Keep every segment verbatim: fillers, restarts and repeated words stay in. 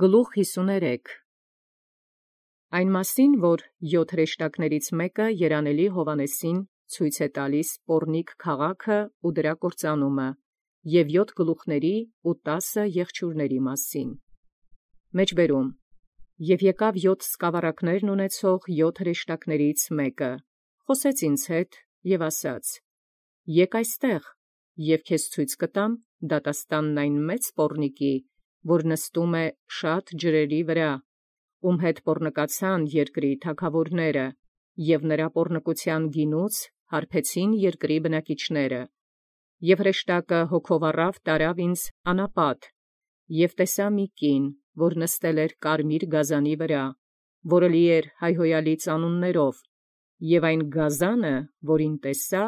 Գլուխ հիսուներեք Այն մասին, որ յոթ հրեշտակաց մեկը երանելի Հովհաննեսին ցույց է տալիս Պոռնիկ քաղաքը ու դրա կործանումը, և յոթ գլուխների ու տասը եղջյուրների մասին։ Մեջբերում. Եւ եկաւ յոթ սկավառակներ ունեցող յոթ հրեշտակաց մեկը, խոսեց ինձ հետ և ասաց. Եկ այստեղ, և քեզ ցույց կտամ դատաստանն այն մեծ պոռնիկի, որ նստում է շատ ջրերի վրա, ում հետ պոռնկացան երկրի թագաւորները, և նրա պոռնկութեան գինուց հարբեցին երկրի բնակիչները։ Եւ հրեշտակը հոգով առավ տարավ ինձ անապատ, և տեսա մի կին, որ նստել էր կարմիր գազանի վրա, որը լի էր հայհոյալի ծանուններով, և այն գազանը, որին տեսայ,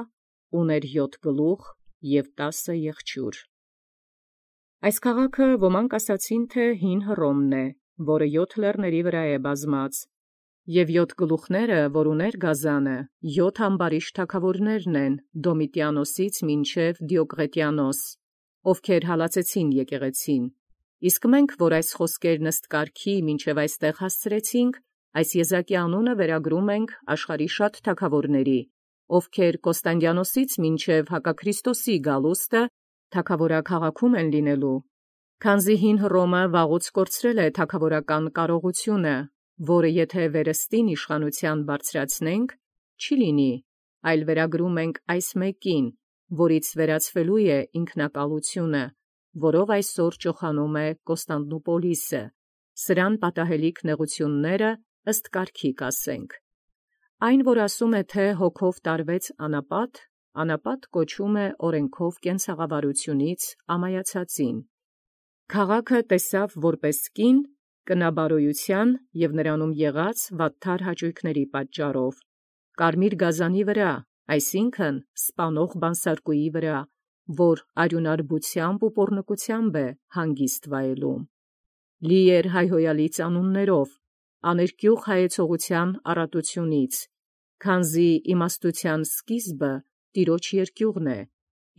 ունէր յոթ գլուխ և տասը եղջյուր։ Այս քաղաքը ոմանք ասացին, թէ հին Հռոմն է, որը յոթ լեռների վրա է բազմած, և յոթ գլուխները, որ ունէր գազանը, յոթ ամբարիշտ թագաւորներն են Դոմիտիանոսից մինչև Դիոկլետիանոս, ովքեր հալածեցին եկեղեցին։ Իսկ մենք, որ այս խոսքերն ըստ կարգի մինչև այստեղ հասցրեցինք, այս եզակի անունը վերագրում ենք աշխարհի շատ թագաւորների, ովքեր Կոստանդիանոսից մինչև Հակաքրիստոսի գալուստը թագաւորաքաղաքում են լինելու։ Քանզի հին Հռոմը վաղուց կորցրել է թագաւորական կարողությունը, որը եթէ վերստին իշխանութեան բարձրացնենք, չի լինի, այլ վերագրում ենք այս մեկին, որից վերացվելու է ինքնակալությունը, որով այսօր ճոխանում է Կոստանդնուպոլիսը, սրան պատահելիք նեղութիւնները ըստ կարգի կասենք։ Այն, որ ասում է, թէ հոգով տարվեց անապատ, անապատ կոչում է օրենքով կենցաղավարութիւնից ամայացածին։ Քաղաքը տեսաւ որպէս կին կնաբարոյութեան և նրանում եղած վատթար յաճոյքների պատճառով, կարմիր գազանի վրա, այսինքն սպանող բանսարկուի վրա, որ արիւնարբութեամբ ու պոռնկութեամբ է հանգիստ վայելում։ Լի էր հայհոյալի ծանուններով, աներկիւղ հայեցողութեան առատութիւնից, քանզի իմաստութեան սկիզբը Տիրոջ երկիւղն է,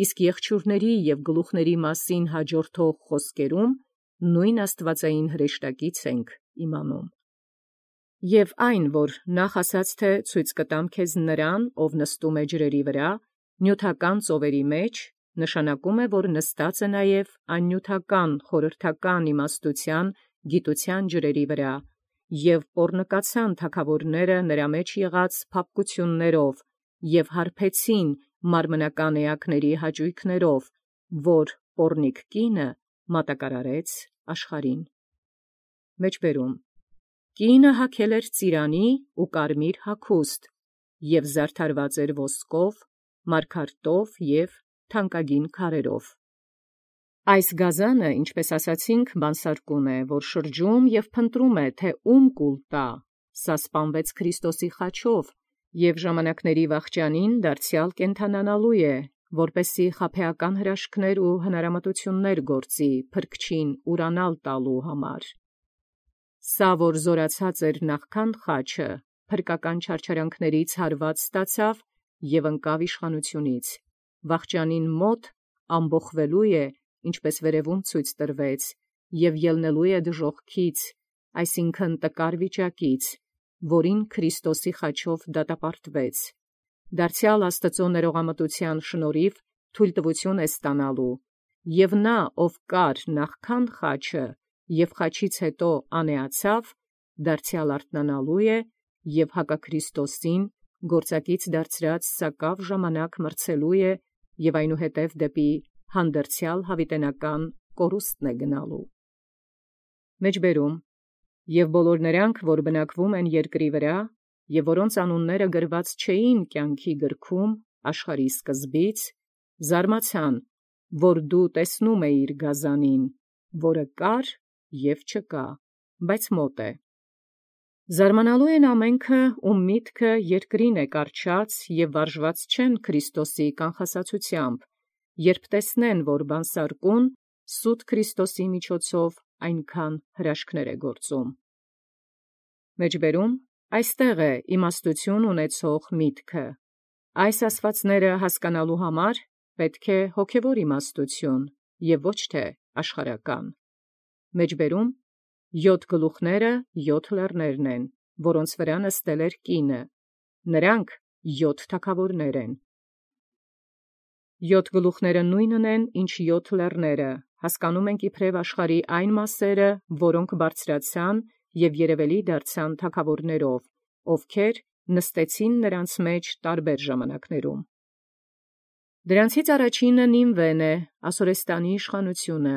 իսկ եղջյուրների և գլուխների մասին հաջորդող խոսքերում նույն աստուածային հրեշտակից ենք իմանում։ Եւ այն, որ նախ ասաց, թէ ցույց կտամ քեզ նրան, ով նստում է ջրերի վրա, նիւթական ծովերի մեջ, նշանակում է, որ նստած է նաև աննիւթական խորհրդական իմաստութեան գիտութեան ջրերի վրա, և պոռնկացան թագաւորները նրա մեջ եղած փափկութիւններով, և հարբեցին մարմնական էակների յաճոյքներով, որ պոռնիկ կինը մատակարարեց աշխարհին։ Մեջբերում. Կինը հագել էր ծիրանի ու կարմիր հագուստ, և զարդարված էր ոսկով, մարգարտով և թանկագին քարերով։ Այս գազանը, ինչպէս ասացինք, բանսարկուն է, որ շրջում և փնտրում է, թէ ո՛ւմ կուլ տայ, սա սպանվեց Քրիստոսի խաչով, և ժամանակների վախճանին դարձեալ կենդանանալու է, որպեսզի խաբեական հրաշքներ ու հնարամտութիւններ գործի փրկչին ուրանալ տալու համար։ Սա, որ զօրացած էր նախքան խաչը, փրկական չարչարանքներից հարված ստացավ և ընկավ իշխանութիւնից, վախճանին մօտ ամբոխվելու է, ինչպէս վերևում ցույց տրվեց, և ելնելու է դժոխքից, այսինքն տկար վիճակից, որին Քրիստոսի խաչով դատապարտվեց, դարձեալ Աստուծոյ ներողամտութեան շնորհիւ թույլտվութիւն է ստանալու, և նա, ով կար նախքան խաչը և խաչից յետո անէացավ, դարձեալ արթնանալու է և Հակաքրիստոսին գործակից դարձրած սակաւ ժամանակ մրցելու է և այնուհետև դեպի հանդերձեալ յաւիտենական կորուստն է գնալու։ Մեջբերում. Եւ բոլոր նրանք, որ բնակվում են երկրի վրա, և որոնց անունները գրված չէին կյանքի գրքում աշխարհի սկզբից, զարմացան, որ դու տեսնում էիր գազանին, որը կար և չկա, բայց մօտ է։ Զարմանալու են ամենքը, ում միտքը երկրին է կառչած և վարժված չեն Քրիստոսի կանխասացութեամբ, երբ տեսնեն, որ բանսարկուն սուտ Քրիստոսի միջոցով այնքան հրաշքներ է գործում։ Մեջբերում. Այստեղ է իմաստութիւն ունեցող միտքը։ Այս ասացվածները հասկանալու համար պետք է հոգևոր իմաստութիւն և ոչ թե աշխարհական։ Մեջբերում. Յոթ գլուխները յոթ լեռներն են, որոնց վրա նստել էր կինը. նրանք յոթ թագաւորներ են։ Յոթ գլուխները նույնն են, ինչ յոթ լեռները, հասկանում ենք իբրև աշխարհի այն մասերը, որոնք բարձրացան և երևելի դարձան թագաւորներով, ովքեր նստեցին նրանց մեջ տարբեր ժամանակներում։ Դրանցից առաջինը Նինվեն է, Ասորեստանի իշխանությունը,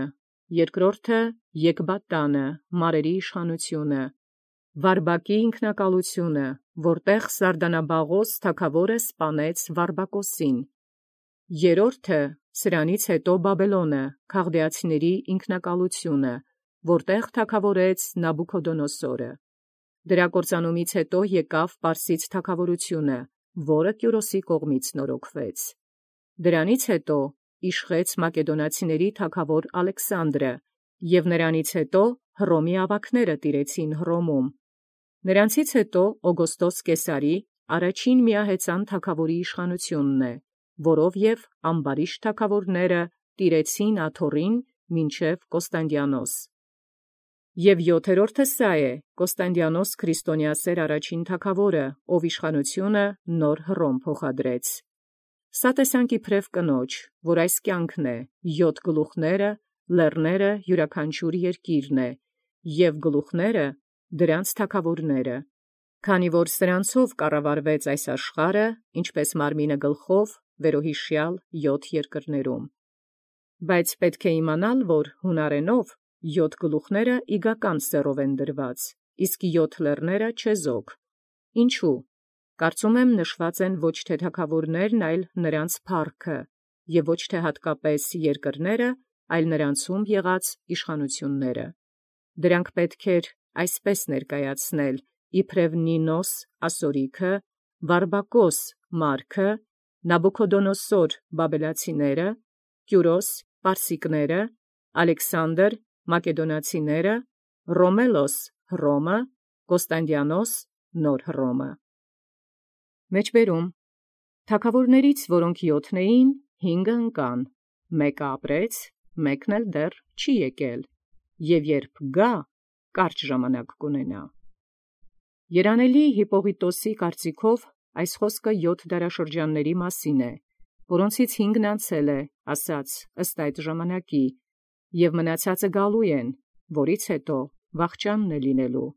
երկրորդը Եկբատանը, մարերի իշխանությունը, Վարբակի ինքնակալությունը, որտեղ Սարդանաբաղոս թագաւորը սպանեց Վարբակոսին, երրորդը սրանից հետո Բաբելոնը, քաղդեացիների ինքնակալությունը, որտեղ թագաւորեց Նաբուքոդոնոսորը։ Դրա կործանումից հետո եկավ Պարսից թագաւորությունը, որը Կյուրոսի կողմից նորոգվեց։ Դրանից հետո իշխեց մակեդոնացիների թագաւոր Ալեքսանդրը, և նրանից հետո Հռոմի աւագները տիրեցին Հռոմում։ Նրանցից հետո Օգոստոս Կեսարի առաջին միահեծան թագաւորի իշխանութիւնն է, որով և ամբարիշտ թագաւորները տիրեցին աթոռին մինչև Կոստանդիանոս։ Եւ յոթերորդը սա է, Կոստանդիանոս քրիստոնեասէր առաջին թագաւորը, ով իշխանութիւնը նոր Հռոմ փոխադրեց։ Սա տեսանք իբրև կնոջ, որ այս կյանքն է, յոթ գլուխները, լեռները յուրաքանչյուր երկիրն է, և գլուխները դրանց թագաւորները, քանի որ սրանցով կառավարվեց այս աշխարհը, ինչպես մարմինը գլխով, վերոյիշեալ յոթ երկրներում։ Բայց պետք է իմանալ, որ յունարենով յոթ գլուխները իգական սեռով են դրված, իսկ յոթ լեռները չեզոք։ Ինչու՞։ Կարծում եմ նշված են ոչ թե թագաւորներն, այլ նրանց փառքը, և ոչ թե հատկապես երկրները, այլ նրանցում եղած իշխանութիւնները։ Դրանք պետք էր այսպես ներկայացնել, իբրև Նինոս ասորիքը, Վարբակոս մարգը, Նաբուքոդոնոսոր բաբելացիները, Կյուրոս պարսիկները, Ալեքսանդր մակեդոնացիները, Ռոմելոս Հռոմը, Կոստանդիանոս նոր Հռոմը։ Մեջբերում. թագաւորացիներից, որոնք յոթն էին, հինգը ընկան, մեկը ապրեց, մեկն էլ դեռ չի եկել, և երբ գա, կարճ ժամանակ կունենա։ Երանելի Հիպպողիտոսի կարծիքով այս խոսքը յոթ դարաշրջանների մասին է, որոնցից հինգն անցել է, ասաց ըստ այդ ժամանակի, և մնացածը գալու են, որից հետո վախճանն է լինելու։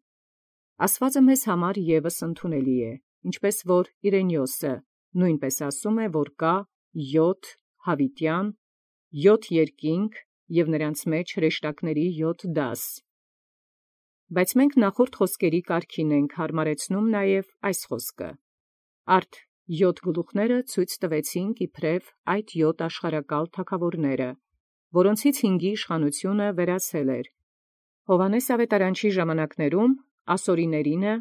Ասվածը մեզ համար ևս ընդունելի է, ինչպես որ Իրենիոսը նույնպես ասում է, որ կա յոթ Յաւիտեան, յոթ երկինք և նրանց մեջ հրեշտակների յոթ դաս։ Բայց մենք նախորդ խոսքերի կարգին ենք հարմարեցնում նաև այս խոսքը. արդ յոթ գլուխները ցույց տվեցինք իբրև այդ յոթ աշխարհակալ թագաւորները, որոնցից հինգի իշխանութիւնը վերացել էր։ Յովհաննես աւետարանչի ժամանակներում ասորիներինը,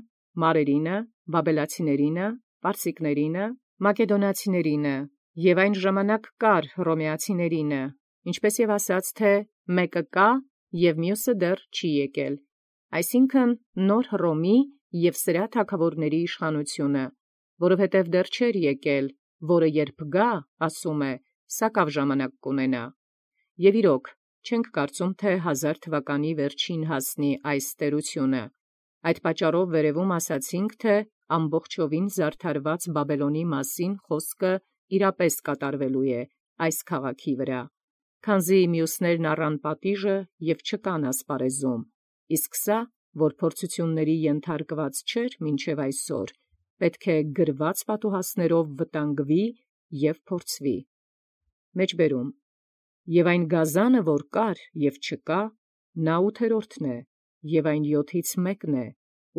մարերինը, բաբելացիներինը, պարսիկներինը, մակեդոնացիներինը և այն ժամանակ կար հռոմեացիներինը, ինչպես և ասաց, թե մեկը կա և մյուսը դեռ չի եկել, այսինքն նոր Հռոմի և սրա թագաւորների իշխանութիւնը, որովհետև դեռ չէր եկել, որը երբ գա, ասում է, սակաւ ժամանակ կունենա։ Եւ իրոք, չենք կարծում, թե հազար թվականի վերջին հասնի այս տերությունը։ Այդ պատճառով վերևում ասացինք, թե ամբողջովին զարդարված Բաբելոնի մասին խոսքը իրապես կատարվելու է այս քաղաքի վրա, քանզի մյուսներն առան պատիժը և չկան ասպարեզում, իսկ սա, որ փորձութիւնների ենթարկված չէր մինչև այսօր, պետք է գրված պատուհասներով վտանգվի և փորձվի։ Մեջբերում. Եւ այն գազանը, որ կար և չկա, նա ութերորդն է, և այն յոթից մեկն է,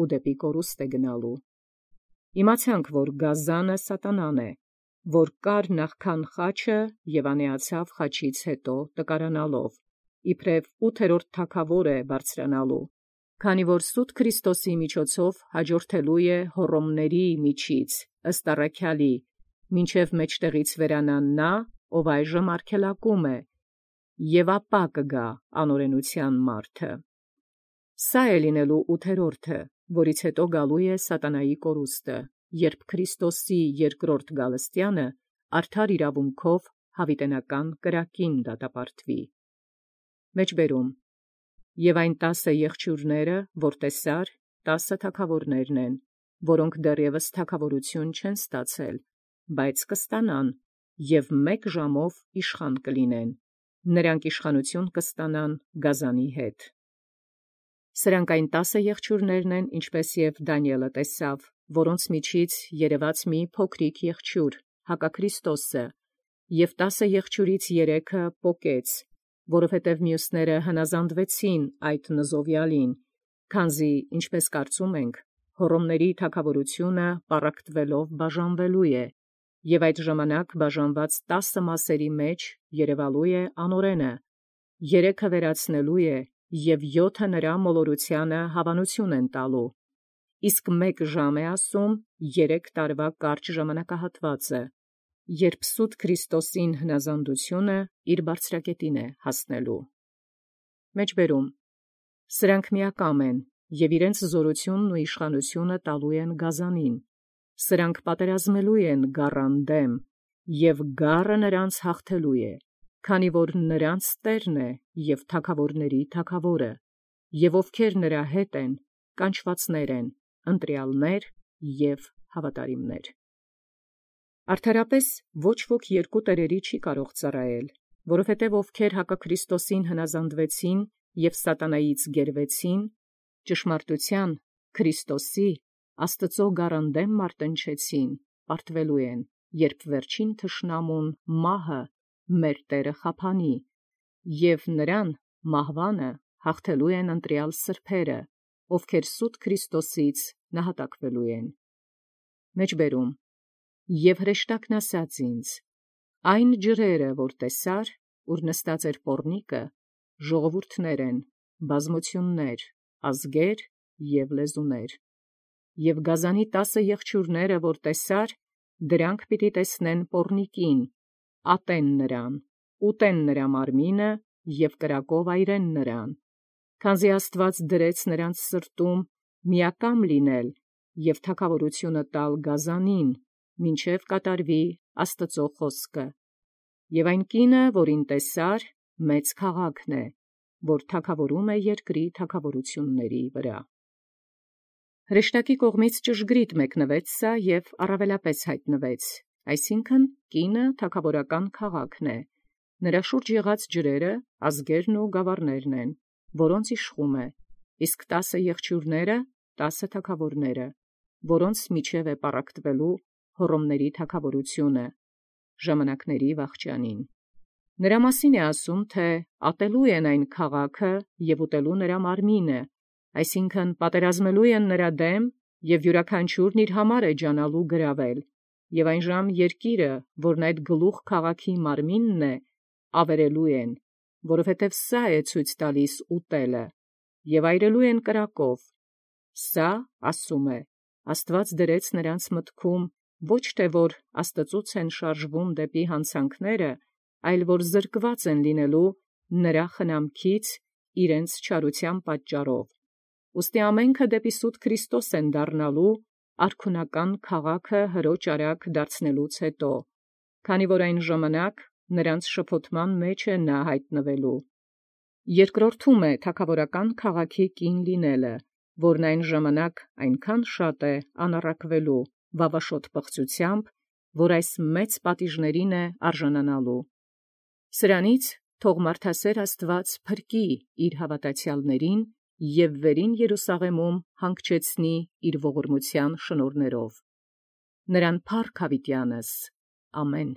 ու դեպի կորուստ է գնալու։ Իմացանք, որ գազանը սատանան է, որ կար նախքան խաչը և անիացավ խաչից հետո տկարանալով, իբրև ութերորդ թագաւոր է բարձրանալու, քանի որ սուտ Քրիստոսի միջոցով հաջորդելու է Հոռոմների միջից, ըստ առաքեալի, մինչև մեջտեղից վերանա նա, ով այժմ արգելակում է, և ապա կգա անօրենութեան մարդը։ Սա է լինելու ութերորդը, որից հետո գալու է սատանայի կորուստը, երբ Քրիստոսի երկրորդ գալստեանը արդար իրավունքով յաւիտենական կրակին դատապարտվի։ Մեջբերում. Եւ այն տասը եղջյուրները, որ տեսար, տասը թագաւորներն են, որոնք դեռևս թագաւորութիւն չեն ստացել, բայց կստանան, եւ մեկ ժամով իշխան կլինեն. նրանք իշխանութիւն կստանան գազանի հետ։ Սրանք այն տասը եղջյուրներն են, ինչպէս եւ Դանիէլը տեսաւ, որոնց միջից երևաց մի փոքրիկ եղջյուր, Հակաքրիստոսը, եւ տասը եղջյուրից երեքը պոկեց, որովհետև մյուսները հնազանդվեցին այդ նզովյալին, քանզի, ինչպես կարծում ենք, հոռոմների թագաւորութիւնը պառակտվելով բաժանվելու է, եւ այդ ժամանակ բաժանված տասը մասերի մեջ երևալու է անօրենը, երեքը վերացնելու է, եւ յոթը նրա մոլորութեանը հավանություն են տալու, իսկ մեկ ժամ է ասում երեք տարվա կարճ ժամանակահատվածը, երբ սուտ Քրիստոսին հնազանդությունը իր բարձրակետին է հասնելու։ Մեջբերում սրանք միակամ են եւ իրենց զորությունն ու իշխանությունը տալու են գազանին, սրանք պատերազմելու են գառան դեմ, եւ գառը նրանց հաղթելու է, քանի որ նրանց Տերն է եւ թագաւորների թագաւորը, եւ ովքեր նրա հետ են, կանչվածներ են, ընտրյալներ եւ հավատարիմներ։ Արդարապես ոչ ոք երկու տերերի չի կարող ծառայել, որովհետև ովքեր Հակաքրիստոսին հնազանդվեցին եւ սատանայից գերվեցին, ճշմարտութեան Քրիստոսի Աստուծո գառան դեմ մարտնչեցին, պարտվելու են, երբ վերջին թշնամուն մահը մեր Տէրը խափանի, եւ նրան մահվանը հաղթելու են ընտրյալ սրբերը, ովքեր սուտ Քրիստոսից նահատակվելու են։ Մեջբերում Եւ հրեշտակն ասաց ինձ. այն ջրերը, որ տեսար, ուր նստած էր պոռնիկը, ժողովուրդներ են, բազմություններ, ազգեր եւ լեզուներ, եւ գազանի տասը եղջյուրները, որ տեսար, դրանք պիտի տեսնեն պոռնիկին, ատեն նրան, ուտեն նրա մարմինը եւ կրակով այրեն նրան, քանզի Աստուած դրեց նրանց սրտում միակամ լինել եւ թագաւորութիւնը տալ գազանին, մինչև կատարվի Աստուծո խոսքը, եւ այն կինը, որին տեսար, մեծ քաղաքն է, որ թագաւորում է երկրի թագաւորութիւնների վրա։ Հրեշտակի կողմից ճշգրիտ մեկնվեց սա եւ առավելապես հայտնվեց, այսինքն կինը թագաւորական քաղաքն է, նրա շուրջ եղած ջրերը ազգերն ու գավառներն են, որոնց իշխում է, իսկ տասը եղջյուրները տասը թագաւորները, որոնց միջև է պառակտվելու հոռոմների թագաւորութիւնը ժամանակների վախճանին։ Նրա մասին է ասում, թե ատելու են այն քաղաքը եւ ուտելու նրա մարմինը, այսինքն պատերազմելու են նրա դեմ եւ յուրաքանչյուրն իր համար է ջանալու գրավել, եւ այն ժամ երկիրը, որն այդ գլուխ քաղաքի մարմինն է, ավերելու են, որովհետեւ սա է ցույց տալիս ուտելը, եւ այրելու են կրակով։ Սա, ասում է, Աստուած դրեց նրանց մտքում ոչ թե որ Աստծուց են շարժվում դեպի հանցանքները, այլ որ զրկված են լինելու նրա խնամքից իրենց չարության պատճառով։ Ուստի ամենքը դեպի սուտ Քրիստոս են դառնալու արքունական քաղաքը հրոճ արագ դարձնելուց հետո, քանի որ այն ժամանակ նրանց շփոթման մեջ է նա հայտնվելու։ Երկրորդում է թագաւորական քաղաքի կին լինելը, որն այն ժամանակ այնքան շատ է անառակվելու վավաշոտ պղծութեամբ, որ այս մեծ պատիժներին է արժանանալու։ Սրանից թող մարդասեր Աստուած փրկի իր հավատացյալներին եւ վերին Երուսաղեմում հանգչեցնի իր ողորմութեան շնորհներով։ Նրան փառք հավիտյանս։ Ամեն։